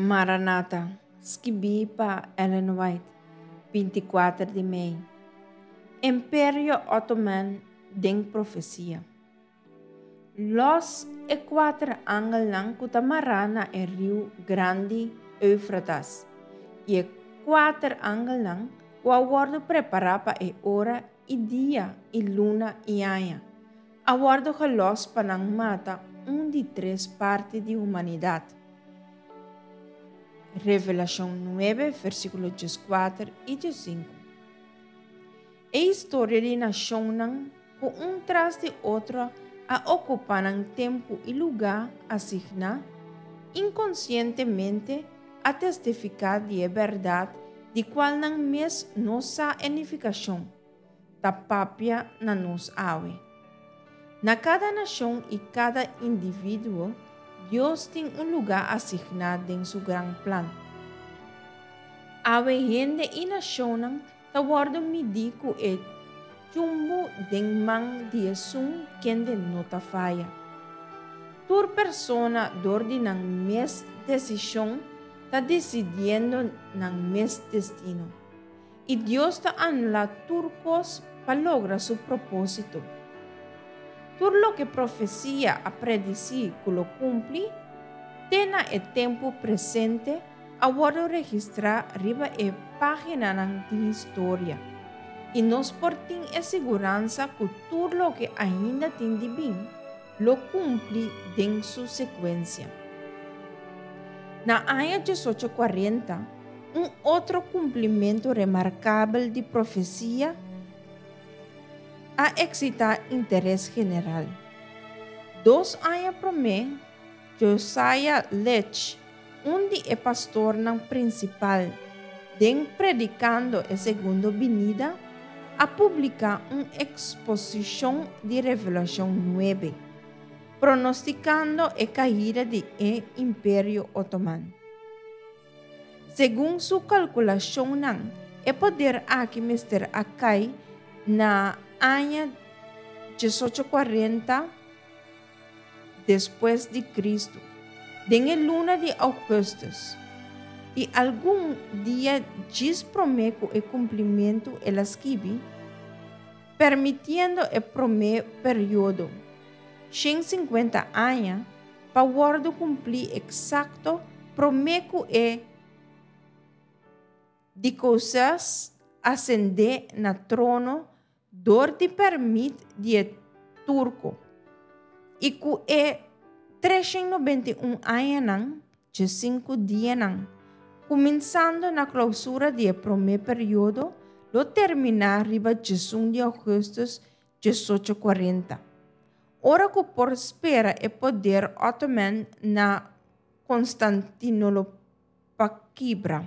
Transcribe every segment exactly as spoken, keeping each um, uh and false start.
Maranata, skibí pa Ellen White, binti kuater di mei. Imperio Ottoman den profesia. Lòs e kuater angelnan ku ta mará na e riu grandi Eufratas, i e kuater angelnan ku a wòrdu prepará pa e ora i dia i luna i aña, a wòrdu gelòs pa nan mata un di tres parti di humanidat. Revelashon nuebe, versíkulo dieskuater i diesinku. E historia di nashonnan ku un tras di otro a okupá nan tempu i lugá asigná, inkonsientemente a testifiká di e bèrdat di kual nan mes no sa e nifikashon, ta papia na nos awe. Na kada nashon i kada individuo, Dios tin un lugá asigná den su gran plan. Awe hende i nashonnan ta wòrdu midí ku e chumbu den man di esun kende no ta faya. Tur persona dor di nan mes desishon ta desidiendo nan mes destino. I Dios ta anulá tur kos pa logra su propósito. Tur loke profesia a predisí ku lo kumpli, te na e tempu presente a wòrdu registrá riba e páginanan di historia. I nos por tin e siguransa ku tur loke ainda tin di bin, lo kumpli den su sekuensia. Na aña diesocho kuarenta, un otro kumplimentu remarkabel di profesia a eksitá interes general. Dos aña promé, Josiah Litch, un di e pastornan prinsipal den Predikando e Segundo Binida, a publiká un eksposishon di Revelashon nuebe, pronostikando e kaida di e Imperio Otoman. Segun su kalkulashonnan, e poder aki mester a kai na aña diesocho kuarenta despues di Kristu, den e luna di ougùstùs, i algun dia djis promé ku e kumplimentu el a skibi, Permitiendo e promé periodo, shen sinkuenta aña, pa wòrdu kumplí eksakto promé ku e Dikosas asendé na trono dor di pèrmit di e turko, i ku e treshen nobenta i un añanan dje sinku dianan, kuminsando na klousura di e promé periodo, lo terminá riba djesun di ougùstùs diesocho kuarenta, ora ku por spera e poder Ottoman na Konstantinolopa kibra.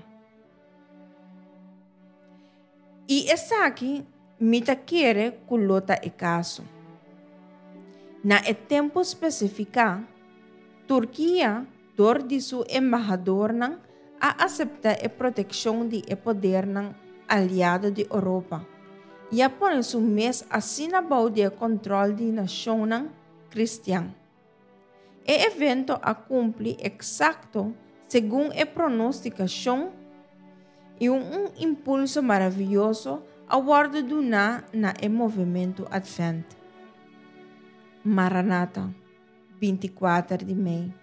I esaki mi ta kere ku lo ta e kaso. Na e tempu spesifiká, Turkia, dor di su embahadornan, a aseptá e protekshon di e podernan aliado di Oropa i a pone su mes asina bou di e kòntròl di nashonnan kristian. E evento a kumpli eksakto segun e pronostikashon i un impulso maravioso a wòrdu duná na e movementu Advent. Maranata, binti kuater di mei.